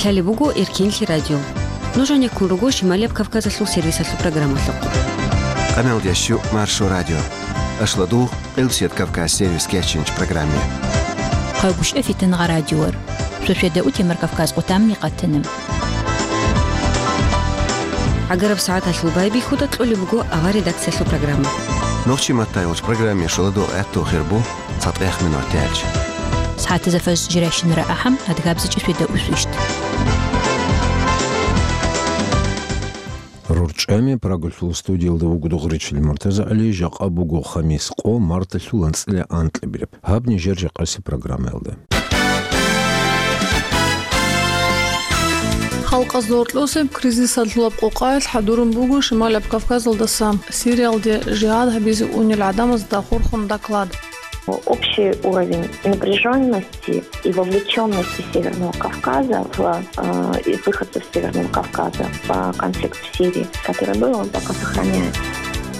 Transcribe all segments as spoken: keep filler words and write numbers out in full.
Лъалеб буго Эркенлъи радио. Нуж гӀенеккун руго Шималияб Кавказалъул сервисалъул программалъухъ. Къамелдящу Маршо радио. Ашладу, Къилсият Кавказ сервис кечинч программе. Хъагушев Фитангъа радиор. Шошеда утемар Кавказ къутамни къатана. ГӀагараб сагӀаталъул байбихьуда кьолеб буго авар редакциялъул программа. Нохчи маттай уч программе шоладо гӀатту хирбу. ЦатӀех минут тӀаялъ. СагӀатазда фажр жирайщинара ахӀам, адгабзичӀеб шведа усвищ. РорчӀами Прагалъул студиялда вуго Дугъричил МуртазагӀали, жакъа буго хамис къо, марталъул анцӀила анкьабилеб. Гьаб нижер жакъаси программаялда. Халкъазда гьоркьосеб кризисалъулаб къокъаялъ хӀадурун буго Шималаб Кавказалдаса Сириялде жигьад гьабизе унел гӀадамазда хурхун доклад. Общий уровень напряжённости и вовлечённости Северного Кавказа в, э, и выходцев Северного Кавказа в конфликт в Сирии, который был, он пока сохраняется.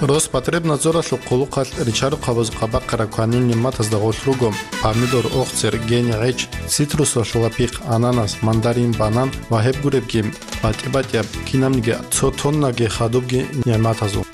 Роспотребнадзоралъул хъулухъалъ ричарухъабаз къабахъараб кванил нигӀматазда гъорлъ руго: помидор, охцер, гени, гӀеч, цитрусалъул лапихъ, ананас, мандарин, банан ва гьеб гуребги, батӀи-батӀияб, кинабниги цо тоннаги хадубги нигӀматазул.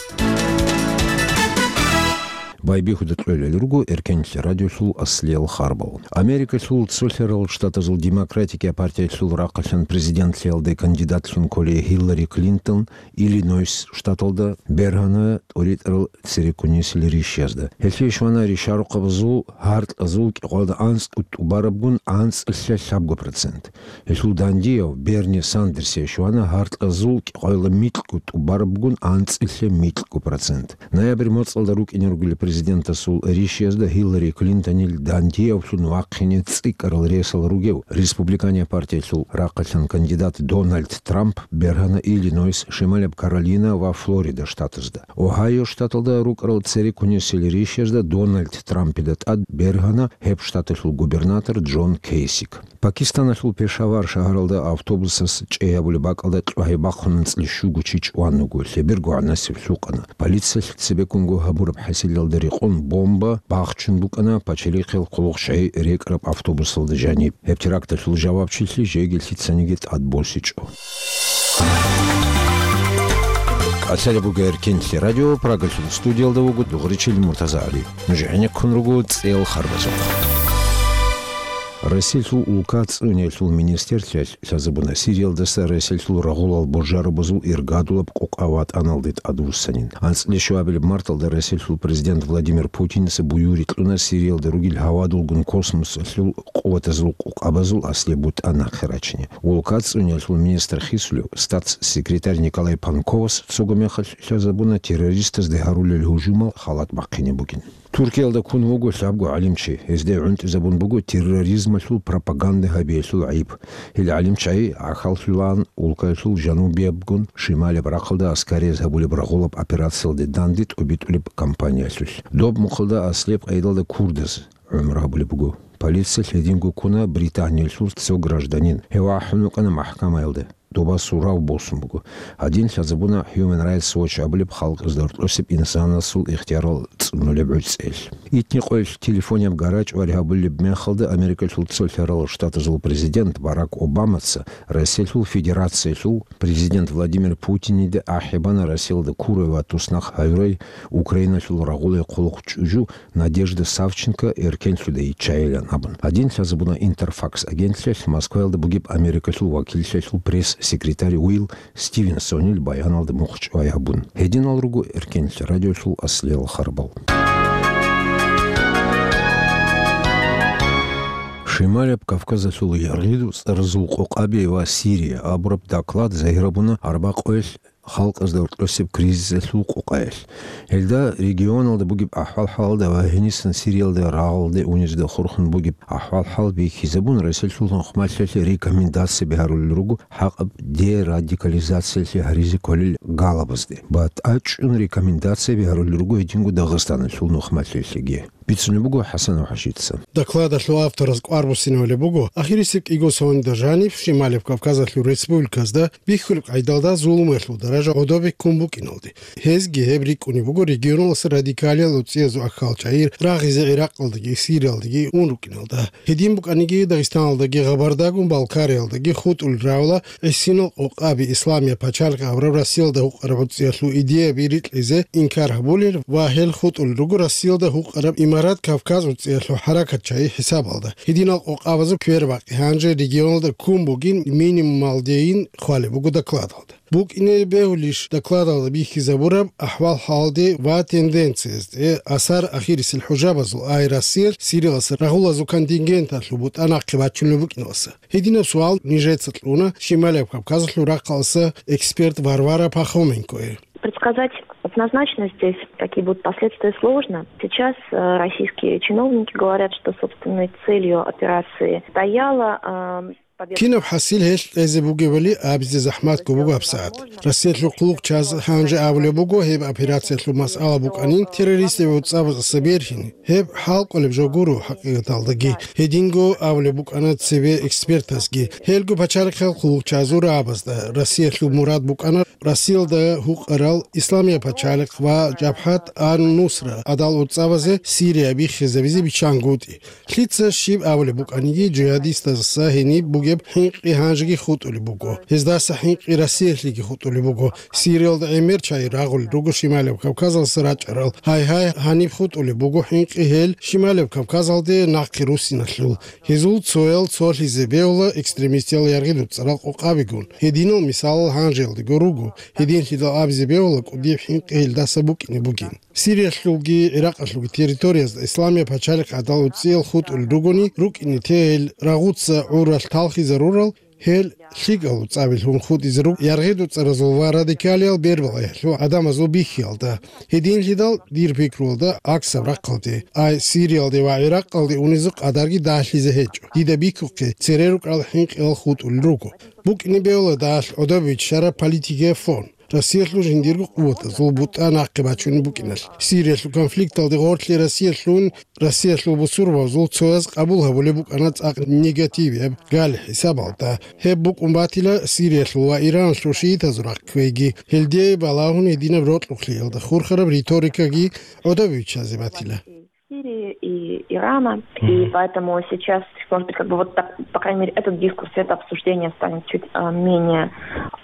Байбихьуда кьолел руго Эркенлъи радиолъул аслиял харбал. Америкалъул цолъарал штатазул Демократикиял партиялъул рахъалъан президентлъиялде кандидатлъун кколей Хиллари Клинтон Иллинойс штаталда бергьана тӀоритӀарал цереккунесил ришязда. Гьелъие щвана ришарухъабазул гьаркьазул кӀикъоялда анцӀго тӀубарабгун анцӀила лъабго процент. Гьелъул дандияв Берни Сандерсие щвана гьаркьазул кӀикъоялда микьго тӀубарабгун анцӀила микьго процент. Ноябрь моцӀалда рукӀине ругел президентасул ришязда Хиллари Клинтонил дандиявлъун вахъине цӀикӀкӀарал ресал ругев, республиканияб партиялъул рахъалъан кандидат Дональд Трамп бергьана Иллинойс, Шималаб Каролина ва Флорида штатазда. Огьайо штаталда рукӀарал цереккунесил ришязда Дональд Трампида тӀад бергьана гьеб штаталъул губернатор Джон Кейсик. Пакистаналъул Пешавар шагьаралда автобусас чӀей гьабулеб бакӀалда кьвагьи бахъун анцӀила щуго чи чӀван вуго, лъеберго гӀанасеб лъукъана. Полициялъ цебеккунго гьабураб хӀасилалда рекъон бомба бахчун букӀана пачалихъил хъулухъчагӀи рекӀараб автобусалда жаниб. Гьеб теракталъул жавабчилъи жеги лъицаниги тӀад босичӀо. КӀалъалеб буго Эркенлъи радио, Прагалъул студиялда вуго Дугъричил МуртазагӀали. Нуж гӀенеккун руго цӀел харбазухъ. Россиялъул улка цӀуниялъул министрлъиялъ лъазабуна Сириялдаса Россиялъул рагъулал божарабазул иргадулаб къокъа ватӀаналде тӀадвуссанин. АнцӀила щуабилеб марталда Россиялъул президент Владимир Путиница буюрги кьуна Сириялда ругел гьавадулгун космосалъул къуватазул къокъабазул аслияб бутӀа нахъе рачине. Улка цӀуниялъул министр хисулев статс-секретарь Николай Панковас цого мехалъ лъазабуна террористазде гьарулел гьужумал халат бахъине бугин. Туркиялда ккун вуго лъабго гӀалимчи. Гьезде гӀунтӀизабун буго терроризмалъул пропаганда гьабиялъул гӀайиб. Гьел гӀалимчагӀи гӀахьаллъулаан улкаялъул жанубиябгун шималияб рахъалда аскарияб гьабулеб рагъулаб операциялде данде тӀобитӀулеб кампаниялъулъ. Доб мухъалда аслияб къайдалда курдаз гӀумру гьабулеб буго. Полициялъ гьединго ккуна Британиялъул цо гражданин. Гьев ахӀун вукӀана махӀкамаялда. Доба сурав босун буго. Гьадин лъазабуна Human Rights Watch абулеб халкъазда гьоркьосеб инсанасул ихтиярал цӀунулеб гӀуцӀел. Итни къоялъ телефонияб гарачӀ варигьабулеб мехалда Америкалъул цолъарал штатазул президент Барак Обамаца Россиялъул Федерациялъул президент Владимир Путинида ахӀи бана Россиялда ккурай ва туснахъ гьавурай Украиналъул рагъулай хъулухъ чӀужу Надежда Савченко эркенлъуда йиччайилан абун. Гьадин лъазабуна Интерфакс агентлъиялъ Москваялда бугеб Америкалъул вакиллъиялъул пресс-секретарь Уилл Стивенсонил баяналда мухъчӀвай гьабун. Гьединал руго Эркенлъи радиолъул аслиял харбал. Шималаб Кавказалъул яргъиду цӀаразул къокъаби ва Сирия абураб доклад загьирабуна арбакъоялъ халкъазда гьоркьосеб кризисалъул къокъаялъ. Гьелда регионалда бугеб ахӀвал-хӀалалда ва гьенисан Сириялда рагъалде унезда хурхун бугеб ахӀвал-хӀал бихьизабун, Россиялъул нухмалъиялъе рекомендацияби гьарулел руго хӀакъаб дерадикализациялъе гьаризе кколел галабазде. БатӀа чӀун рекомендацияби гьарулел руго гьединго Дагъистаналъул нухмалъиялъеги. бицунеб буго ХӀасанов ХӀажица. Докладалъул автораз кӀвар буссинабулеб буго, ахирисеб кӀиго соналда жаниб Шималеб Кавказалъул республиказда бихьулеб къайдалда зулумалъул даража гӀодобе ккун букӀиналде. Гьезги гьеб рикӀкӀунеб буго регионалъ радикалиял уцӀиязул ахӀал чагӀи рагъизе ГӀиракъалдаги Сириялдаги ун рукӀиналда. Гьедин букӀаниги, Дагъистаналдаги Гъабардагун Балкариялдаги хутӀулел рагӀула гӀисинал къокъаби исламияб пачалихъ абураб Россиялда гьукъараб уцӀиялъул идеяби рикьизе инкар гьабулел ва гьел хутӀулел руго Россиялда гьукъараб Имарат Кавказ уцӀиялъул хӀаракат чагӀи хӀисабалда. Гьединал къокъабазул квербакъи гьанже регионалда ккун бугин минимумалдейин хъвалеб буго докладалда. БукӀине бегьулищ докладалда бихьизабураб ахӀвал-хӀалде ва тенденциязде, асар ахирисел хӀужабазул, ай Россиялъ Сириялъ рагъулазул контингенталъул бутӀа нахъе бачунеб букӀиналъа? Гьединаб суал нижеца кьуна Шималияб Кавказалъул рахъалъа эксперт Варвара Пахоменкое. Предсказать однозначно здесь, какие будут последствия, сложно. Сейчас э, российские чиновники говорят, что собственной целью операции стояла э, победа. Кинаб хӀасил гьелъ кьезе бугебали абизе захӀматго буго гьабсагӀат. Россиялъул хъулухъчияз гьанже абулеб буго гьеб операциялъул масъала букӀанин террористиял уцӀабаздаса бергьин. Гьеб хӀалкӀолеб жо гуро хӀакъикъаталдаги. Гьединго абулеб букӀана цебе экспертазги. Гьелго пачалихъал хъулухъчазул рагӀабазда Россиялъул мурад букӀана Россиялда гьукъарал Исламияб пачалихъ ва Жабхат ан-Нусра гӀадал уцӀабазе Сирия биххизабизе биччангутӀи. Лъица щиб абулеб букӀаниги, жигьадистазаса гьениб бугеб хӀинкъи гьанжеги хутӀулеб буго. Гьездаса хӀинкъи Россиялъеги хутӀулеб буго. Сириялда гӀемер чагӀи рагъулел руго Шималияб Кавказалъа рачӀарал. Гьайгьай, гьаниб хутӀулеб буго хӀинкъи гьел Шималияб Кавказалде нахъе руссиналъул. Гьезул цоял цолъизе бегьула экстремистиял яргъидул цӀарал къокъабигун. Гьединал мисалал гьанжеялдего руго. Гьединлъидал абизе бегьула кӀудияб хӀинкъи гьелдаса букӀине бугин. Сириялъулги ГӀиракъалъулги территориязда Исламияб пачалихъ гӀадал уцӀиял хутӀулел ругони, рукӀине те гьел рагъуца гӀуралъ талхизарурал, гьел лъикӀал уцӀабилъун хутӀизе руго яргъидул цӀаразул ва радикалиял бербалъиялъул гӀадамазул бихьиялда. Гьединлъидал дир пикруялда гӀаксаб рахъалде, ай Сириялде ва ГӀиракъалде унезул къадарги дагьлъизе гьечӀо. Дида бихьухъе цере рукӀарал хӀинкъиялъ хутӀулел руго. БукӀине бегьула дагьалъ гӀодобе биччараб политикияб фон. Россиялъул жиндирго къуватазул бутӀа нахъе бачунеб букӀиналъ. Сириялъул конфликталде гъорлъе Россиялъул, Россиялъул бусурбабазул цояз къабул гьабулеб букӀана цӀакъ негативияб гал хӀисабалда. Гьеб букӀун батила Сириялъул ва Ираналъул шиитазул рахъ кквейги. Гьелде балагьун гьединаб рокьулъиялда хурхараб риторикаги гӀодобе биччазе батила. Сирии и Ирана. И поэтому сейчас, может быть, как бы вот так, по крайней мере, этот дискурс, это обсуждение станет чуть а, менее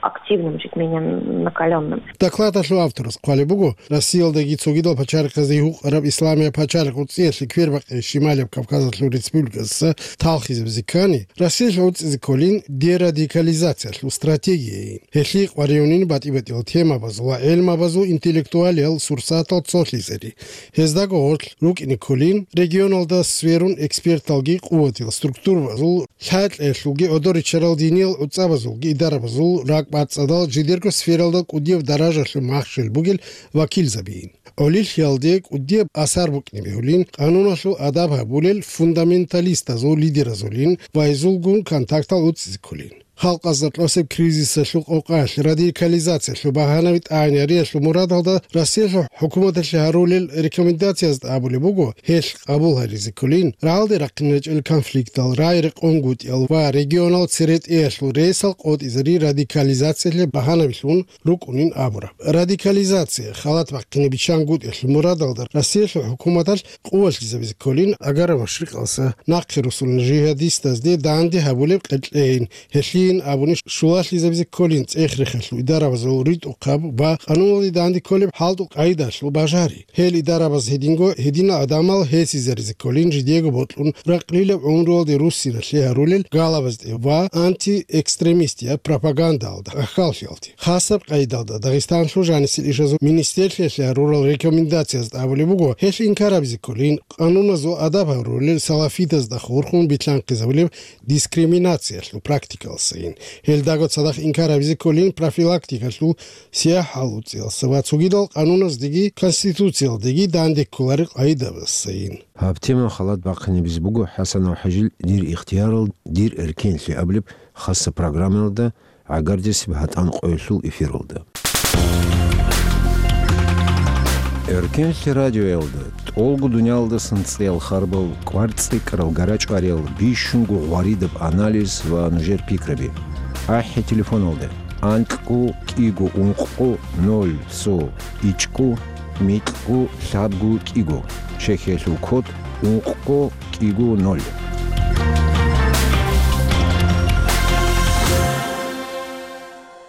активным, чуть менее накаленным. Докладалъул авторас хъвалеб буго, Россиялдаги цогидал пачалихъаздаги гьукъараб Исламияб пачалихъ уцӀиялъе квербакъи Шималияб Кавказалъул республиказдаса талхизабизе ккани, Россиялъ уцӀизе кколин дерадикализациялъул стратегияйин. Гьелъие къваригӀунин батӀи-батӀиял темабазул ва гӀелмабазул интеллектуалиял сурсатал цолъизари. Гьездаго гъорлъ рукӀине кколин, регионалда сверун эксперталги къуватиял структурабазул лъалкьеялъулги гӀодоричарал диниял уцӀабазулги идарабазул ракӀбацӀцӀадал жидерго сфералда кӀудияб даражалъул махщел бугел вакилзабиин. ГӀолилъиялде кӀудияб асар букӀине бегьулин, къануналъул адаб гьабулел фундаменталистазул лидеразулин ва гьезулгун контактал уцӀизе кколин. Халкъазда кьосеб кризисалъул къокъалъ радикализациялъул багьанаби тӀагӀинариялъул мурадалда Россиялъул хӀукуматалъе гьарулел рекомендациязда абулеб буго, гьелъ къабул гьаризе кколин, рагӀалде рахъине рачӀел конфликтал, рагӀи-рекъонгутӀиял ва регионал церетӀеялъул ресал къотӀизари радикализациялъе багьанабилъун рукӀунин абураб. Радикализация, халат бахъине биччангутӀиялъул мурадалда Россиялъул хӀукуматалъ къувалъизабизе кколин, агара машрикъалса нахъе русулин жигьадистазде данде гьабулеб къеркьейин, гьелъийин абуни шулалъизабизе кколин цӀех-рехалъул идарабазул ритӀухъаб ва къануналде данде кколеб хӀалтӀул къагӀидалъул бажари. Гьел идарабаз гьединго гьединал гӀадамал гьесизаризе кколин жидего бокьун ракълилаб гӀумруялде руссиналъе гьарулел галабазде ва антиэкстремистияб пропагандалда ахьаллъиялде. Хасаб къайдалда Дагъистанлъул жанисел ишазул министрлъиялъе гьарурал рекомендациязда абулеб буго, гьелъ инкарабизе кколин, къануназул адаб гьарулел салафитазда хурхун битлъанхъизабулеб дискриминациялъул практикалсайин. Гьелдаго цадахъ инкарабизе кколин профилактикалъул сияхӀал уцӀиялса ва цогидал къануназдеги конституциялдеги данде кколарел къагӀидабассайин. Гьаб тема халат бахъинабизе буго ХӀасанов ХӀажил «Дир ихтиярал, дир эркенлъи» абулеб хасса программаялда гӀагардесеб гьатӀан къоялъул эфиралда. Эркенлъи радиоялда тӀолго дуниялдасан цӀеял харбал, кӀвар цӀикӀкӀарал гарачӀвариял, бищунго гъваридаб анализ ва нужер пикраби. АхӀи телефоналда: анкьго кӀиго ункъго ноль цо ичӀго микьго лъабго кӀиго, чехиялъул код ункъго кӀиго ноль.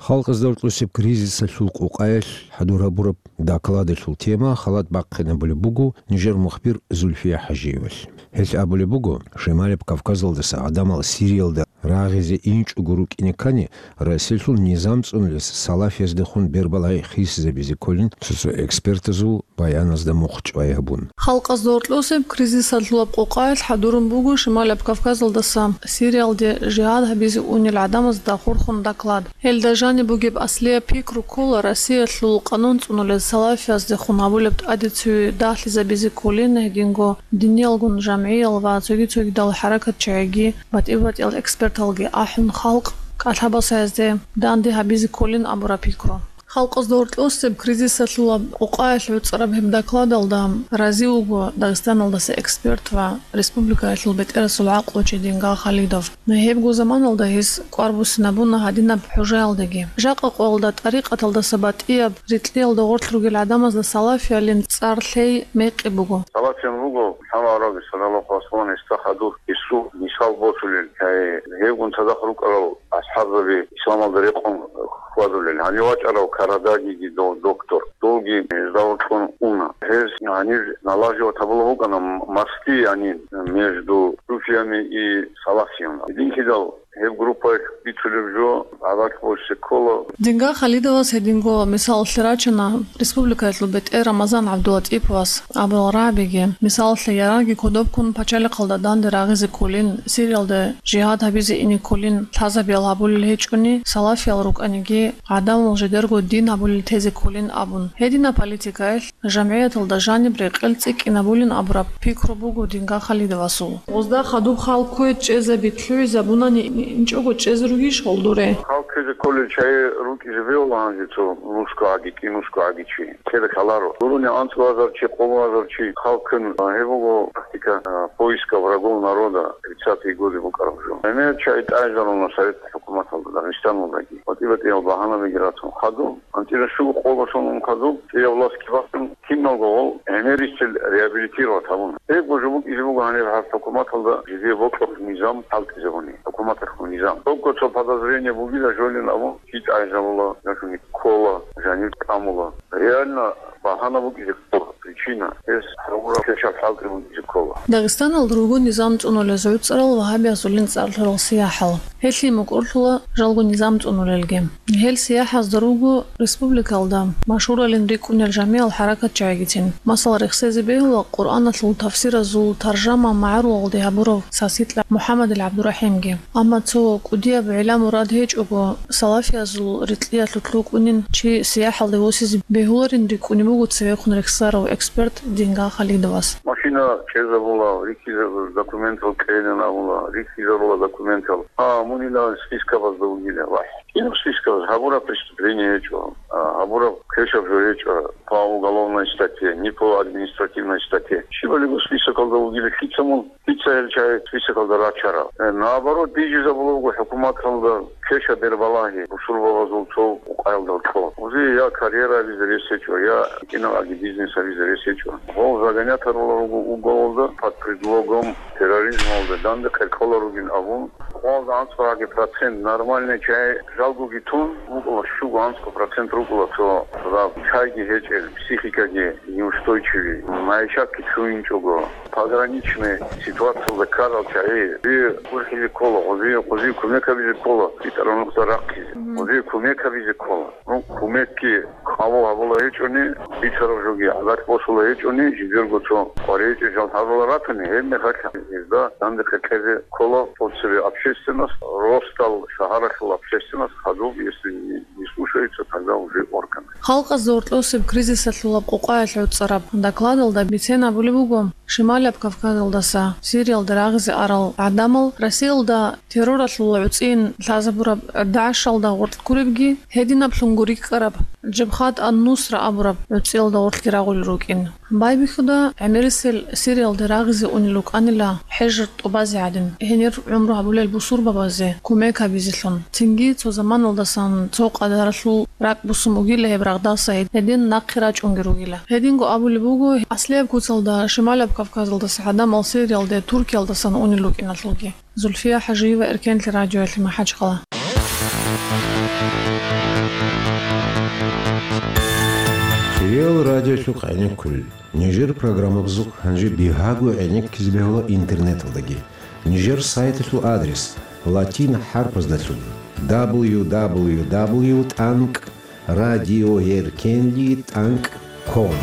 Халкъазда гьоркьосеб кризисалъул къукъаялъ хӀадур гьабураб докладалъул тема халат бахъинабулеб буго нижер мухбир Зульфия ХӀажиевалъ. Гьелъ абулеб буго, Шималаб Кавказалдаса гӀадамал Сириялда рагъизе инчӀого рукӀине ккани, Россиялъул низам цӀунулес салафияздехун бербалагьи хисизабизе кколин цо-цо экспертазул баяназда мухъ чӀвай гьабун. Халкъазда гьоркьосеб кризисалъулаб къукъаялъ хӀадурун буго Шималаб Кавказалдаса Сириялде жигьад гьабизе унел гӀадамазда хурхун доклад. Гьелда жаниб бугеб аслияб пикру ккола Россиялъул къанун цӀунулел салафияздехун гьабулеб тӀаде цеве дагьлъизабизе кколин гьединго диниялгун жамгӀиял ва цоги-цогидал хӀаракатчагӀиги, батӀи-батӀиял эксперталги ахӀун халкъ кӀалъабас гьезде данде гьабизе кколин абураб пикру. Халкъазда гьоркьосеб кризисалъулаб къукъаялъ гӀуцӀараб гьеб докладалда рази вуго Дагъистаналдаса эксперт ва республикаялъул бетӀерасул гӀакълучи Дингал Халидов. Гьебго заманалда гьес кӀвар буссинабуна гьадинаб хӀужаялдаги. Жакъа къоялда тӀарикъаталдаса батӀияб рикьиялда гъорлъ ругел гӀадамазда салафиялин цӀар лъей мекъи буго. Салафиян вуго, лъала араби, саллаллаху аслан, гьесда хадур, гьесул мисал босулел, гьай, гьевгун цадахъ рукӀарал асхӀабзаби исламалда рекъон хьвадулел. Гьанив вачӀарав Карадагиги дов доктор, довги гьезда вокьун уна. Гьез гьанир налаживать гьабулеб букӀана мости, яни между суфиями и салафиями. Гьединлъидал гьеб группаялъ бицулеб жо гӀадат босе ккола. Дингал Халидовас гьединго мисалалъе рачана республикаялъул бетӀер Рамазан ГӀабдулатӀиповас абурал рагӀабиги. Мисалалъе, ярагъги кодобккун пачалихъалда данде рагъизе кколин, Сириялда жигьад гьабизе ине кколин лъазабиял гьабулел гьечӀони, салафиял рукӀаниги, гӀадамал жидерго дин гьабулел тезе кколин абун. Гьединаб политикаялъ жамгӀияталда жаниб рекъел цӀикӀкӀинабулин абураб пикру буго Дингал Халидовасул. Гъозда хадуб хал ккве чӀезаби лъугӀизабунани, инчӀого чӀезе ругищ гъол дуре? Хал кквезе кколел чагӀи рукӀизе бегьула гьанже цо нусгогӀаги, кӀинусгогӀаги чи. Ккеда кколаро. Дуруни анцӀго азар чи, къоло азар чи хал ккун, а, гьеб буго тактика, а, поиска врагов народа, тридцатые годы букӀараб жо. Гьенир чагӀи тӀагӀинарун Совет хӀукуматалда, Дагъистаналдаги. БатӀи-батӀиял багьанабиги ратун хадуб, анцӀила щуго къоло сон ун хадуб, цӀияб властги бахъун, киналго гъол гӀемерисел реабилитировать гьабун. Гьеб гужу букӀизе буго гьанир гьаб хӀукуматалда жидее бокьухъ низам хӀалтӀизабуни, хӀукуматалъул низам. Догго цо подозрение бугила жолин абун, чи тӀагӀинабула, жашуни ккола, жанир тӀамула. Реально багьана букӀизе ккола, причина, гьес гьавураб квешаб хӀалтӀи букӀизе ккола. Дагъистаналда руго низам цӀунулез гӀуцӀарал вагьабиязулин цӀар лъурал сияхӀал. Гьелъие мукӀурлъула жалго низам цӀунулелги. Гьел сияхӀазда руго республикалда машгьуралин рикӀкӀунел жамигӀал хӀаракатчагӀигицин. Масала, рехсезе бегьула Къуръаналъул тафсиразул таржама магӀарулалде гьабурав Саситла МухӀаммадил ГӀабдурахӀимги. Амма цо кӀудияб гӀилла-мурад гьечӀого, салафиязул рикьиялъулъ рукӀунин чи сияхӀалде восизе бегьуларин рикӀкӀунеб буго цевехун рехсарав эксперт Дингал Халидовас. Машина чӀезабула, рихьизабула, документал кьейилан абула, рихьизарула документал. Гьа, мунила спискабазда вугила, вахӀ. Кинаб спискабаз? Гьабураб преступление гьечӀо, а, гьабураб квешаб жо гьечӀо, по уголовной статье, не по административной статье. Щибалиго списокалда вугила, лъица мун, лъица гьел чагӀи списокалда рачарал? Э, наоборот, бижизабула буго хӀукуматалда квешаб бербалагьи бусурбабазул цо къукъаялда кьо. Гъозие я карьера гьабизе рес гьечӀо, я гьитӀинаб бизнес гьабизе рес гьечӀо. Гъол загонять гьарула руго уголалда под предлогом терроризмалда данде хӀеркӀолар ругин абун. Гъолда анцӀгоги процент нормальный чагӀи жалгоги тун, рукӀула щуго анцӀго процент рукӀула цо раб чагӀиги гьечӀел, психикаги неустойчивый, майишатги чуйинчӀого, пограничный ситуациялда ккарал чагӀи, гъозие гурхӀизе ккола, гъозие, гъозие кумек гьабизе ккола, битӀараб нухда рахъизе, гъозие кумек гьабизе ккола. Ну, кумекги къабул гьабула гьечӀони, бицараб жоги гӀадат босула гьечӀони, жидерго цо къваригӀинчӀел жал гьарула ратани, гьеб мехалъ гьезда данде хӀеркӀезе ккола тӀоцебе общественность, росдал шагьаралъул общественность хадуб, если не, Слушаются тогда уже органы. Халкъазда гьоркьосеб кризисалъулаб къукъаялъ гӀуцӀараб докладалда бицен абулеб буго, Шималияб Кавказалдаса Сириялде рагъизе арал гӀадамал Россиялда терроралъул гӀуцӀийин лъазабураб ДАИШалда гъоркь гуребги, гьединаблъун гуриккараб Жабхат ан-Нусра абураб гӀуцӀиялда гъоркьги рагъулел рукӀин. Байбихьуда, гӀемерисел Сириялде рагъизе унел рукӀанила хӀежир тӀубазе гӀадин, гьенир гӀумру гьабулел бусурбабазе кумек гьабизелъун, цинги цо заманалдасан цо къадаралъул ракӀ бусун бугила гьеб рагъдаса гьедин нахъе рачӀунги ругила. Гьединго абулеб буго, аслияб куцалда Шималаб Кавказалдаса гӀадамал Сириялде Туркиялдасан унел рукӀиналъулги. Зульфия ХӀажиева, Эркенлъи радиоялъе МахӀачхъала. Кирилл радиолъухъ гӀенеккулел. Нижер программабазухъ гьанже бигьаго гӀенеккизе бегьула интернеталдаги. Нижер сайталъул адрес латин хӀарпаздалъун: дабл ю дабл ю дабл ю тӀанкӀ радиоэркенли тӀанкӀ ком.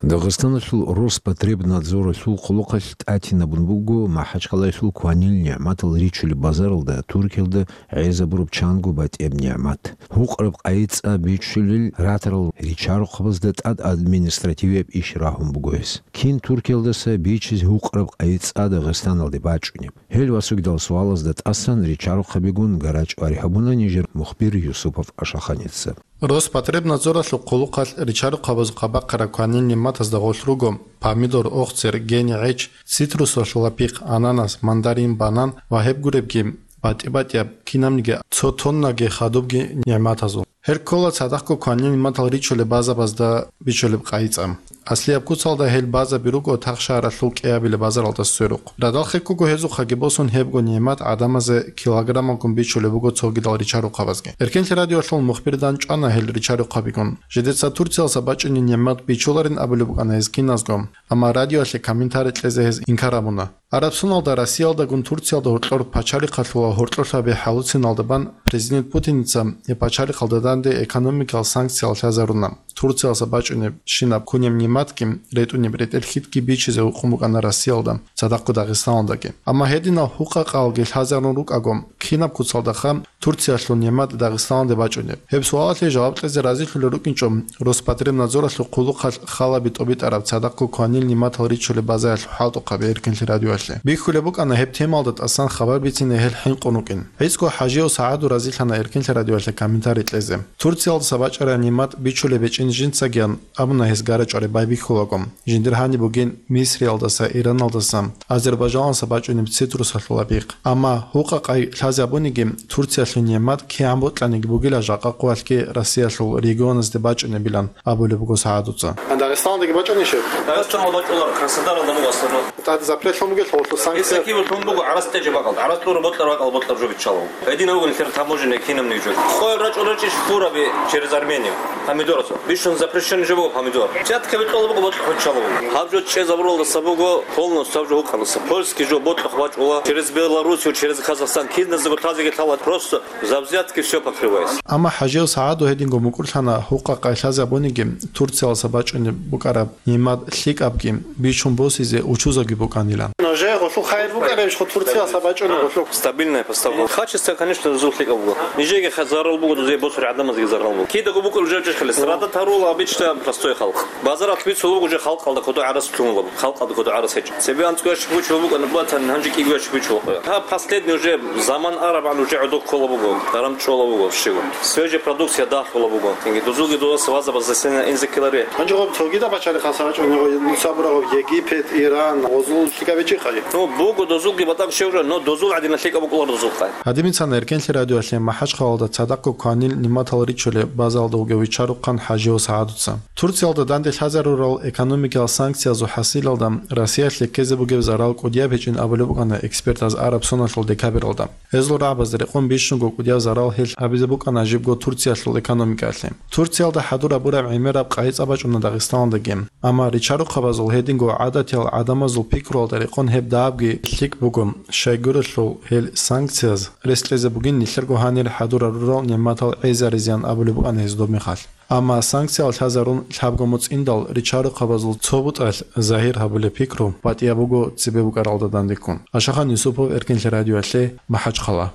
Дагъистаналъул Роспотребнадзоралъул хъулухъалъ тӀатинабун буго МахӀачхъалаялъул кванил нигӀматал ричулеб базаралда Туркиялда гӀезабураб чанго батӀияб нигӀмат. Гьукъараб къайи цӀа бичулел ратарал ричарухъабазда тӀад административияб иш рагьун буго гьес. Кин Туркиялдаса бичизе гьукъараб къайи цӀа Дагъистаналде бачӀунеб? Гьел васугидал суалазда тӀасан ричарухъабигун гарачӀвари гьабуна нижер мухбир Юсупов Ашаханица. Роспотребнадзоралъул хъулухъалъ ричарухъабазухъа бахъараб кванил нигӀматазда гъорлъ руго помидор, охцер, гени, гӀеч, цитрусалъул лапихъ, ананас, мандарин, банан ва гьеб гуребги батӀи-батӀияб кинабниги цо тоннаги хадубги нигӀматазул. Гьел ккола цадахъго кванил нигӀматал ричулеб базабазда бичулеб къайи цӀа. Аслияб куцалда гьел базаби руго тахшагьаралъул кӀиабилеб базаралда сверухъ. Радал хеккого гьезухъаги босун гьебго нигӀмат гӀадамазе килограммалгун бичулеб буго цогидал ричарухъабазги. Эркенлъи радиоялъул мухбир дандчӀвана гьел ричарухъабигун. Жидеца Турциялдаса бачӀунеб нигӀмат бичуларин абулеб букӀана гьез киназго, амма радиоялъе комментарий кьезе гьез инкар гьабуна. Араб соналда Россиялдагун Турциялда гьоркьор пачалихъалъула гьоркьорлъаби хӀалуциналда бан президент Путиница гьеб пачалихъалда данде экономикал санкциялъ лъазаруна. Турциялдаса бачӀунеб щинаб кунеб нигӀматги, ретӀунеб ретӀел хьитги бичизе гьукъун букӀана Россиялда, цадахъго Дагъистаналдаги. Амма гьединал гьукъа-къалги лъазарун рукӀаго, кинаб куцалдаха Турциялъул нигӀмат Дагъистаналде бачӀунеб? Гьеб суалалъе жаваб кьезе разилъулел рукӀинчӀо Роспотребнадзоралъул хъулухъалъ халаби тӀобитӀараб цадахъго кванил нигӀматал ричулеб базаялъул хӀалтӀухъаби Эркенлъи радиоялъе. Бихьулеб букӀана гьеб темалда тӀасан хабар бицине гьел хӀинкъун рукӀин. ГӀицӀго ХӀажияв СагӀаду разилъана Эркенлъи радиоялъе комментарий кьезе. Турциялдаса бачӀараб нигӀмат бичулеб гьечӀин жинцагиян абуна гьес гарачӀвари байбихьулаго. Жиндир гьаниб бугин Мисриялдаса, Ираналдаса, Азербайжаналдаса бачӀунеб цитрусалъул лапихъ. Амма гьукъа-къай лъазе абуниги, Турциялъул нигӀмат кигӀан бокьаниги бугила жакъа къоялъги Россиялъул регионазде бачӀунебилан абулеб буго СагӀадуца. А Дагъистаналдаги бачӀунищ гьеб? Дагъистаналда бачӀула, Краснодаралда буго аслаб. ТӀад запрет лъун бугелъул санкция. Гьесакиве лъун буго гӀарац тӀеже бакӀалда. ГӀарац лъура бокьараб бакӀалда бокьараб жо биччалав. Гьединав вугин лъер таможенный кинабниги жо. Къоял рачӀун рачӀищ хураб через Армению. Помидорас. Бищун запрещенный жо буго помидор. Взятка бикьола буго, бокьухъ биччалав. Гьаб жо чӀезабуралдаса буго полностью гьаб жо гьукъалдаса. Польский жо бокьухъ бачӀула. Через Белоруссию, через Казахстан. Киназдаго лъазеги лъала. Просто за взятки всё покрывается. Амма ХӀажияв СагӀаду гьединго мукӀурлъана гьукъа-къай лъазе абуниги, Турциялдаса бачӀунеб букӀараб нигӀмат лъикӀабги бичун босизе учузаги букӀанилан. Нужее гъолъул хайир букӀарабищ хъу Турциялдаса бачӀунеб гъолъул? Стабильная поставка. Качество, конечно, дозул лъикӀаб буго. Нижеги ха-, зарал буго, дозие босулел гӀадамазеги зарал буго. Кидаго букӀараб жо чӀехъали, страдать гьарула обычно простой халкъ. Базаралъ бицула буго уже халкъалда кодо гӀарац лъугьуна буго, халкъалда кодо гӀарац гьечӀо. Цебе анцӀго ящик бичула букӀана, батани гьанже кӀиго ящик бичула къоя. Гьаб последний уже заман арабгӀан уже гӀодов ккола буго, даран чӀола буго щего. Свежая продукция дагь Ккола буго. Инги дозулги дозаса вазабаз засена инзе ккеларе. Гьанже гъоб цогидаб пачалихъан сабачӀун гъой нуца бурагъоб Египет, Иран, гъозул лъикӀаб гьечӀихъаги? Ну, буго дозулги батӀа щев жо, но дозул гӀадина лъикӀаб букӀулар дозулхъай. Гьадиминцана Эркенлъи радиоялъе МахӀачхъалалда цадахъго кванил нигӀматал ричулеб базалда вугев вичарухъан ХӀажияв СагӀадуца. Турциялда данде лъазарурал экономикиял санкциязул хӀасилалда Россиялъе ккезе бугеб зарал кӀудияб гьечӀин абулеб букӀана экспертаз араб соналъул декабралда. Гьезул рагӀабазда рекъон бищунго кӀудияб зарал гьелъ гьабизе букӀана жибго Турциялъул экономикаялъе. Турциялда хӀадур гьабураб гӀемераб къайи цӀа бачӀуна Дагъистаналдаги. Амма ричарухъабазул гьединго гӀадатиял гӀадамазул пикруялда рекъон гьеб дагьабги лъикӀ буго, щайгурелъул гьел санкцияз рес кьезе бугин нилъерго гьанир хӀадур гьарурал нигӀматал гӀезаризеян абулеб букӀана гьез доб мехалъ. Амма санкциял лъазарун лъабго моцӀ индал ричарухъабазул цо бутӀалъ загьир гьабулеб пикру батӀияб буго цебе букӀаралда дандеккун. Ашахан Юсупов, Эркенлъи радиоялъе, МахӀачхъала.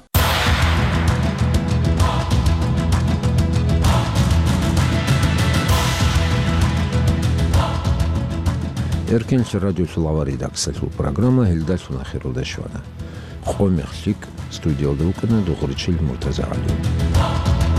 Эркенлъи радиолъул авар редакциялъул программа гьелдалъун ахиралде щвана. Къо-мех лъикӀ, студиялда вукӀана Дугъричил МуртазагӀалиев.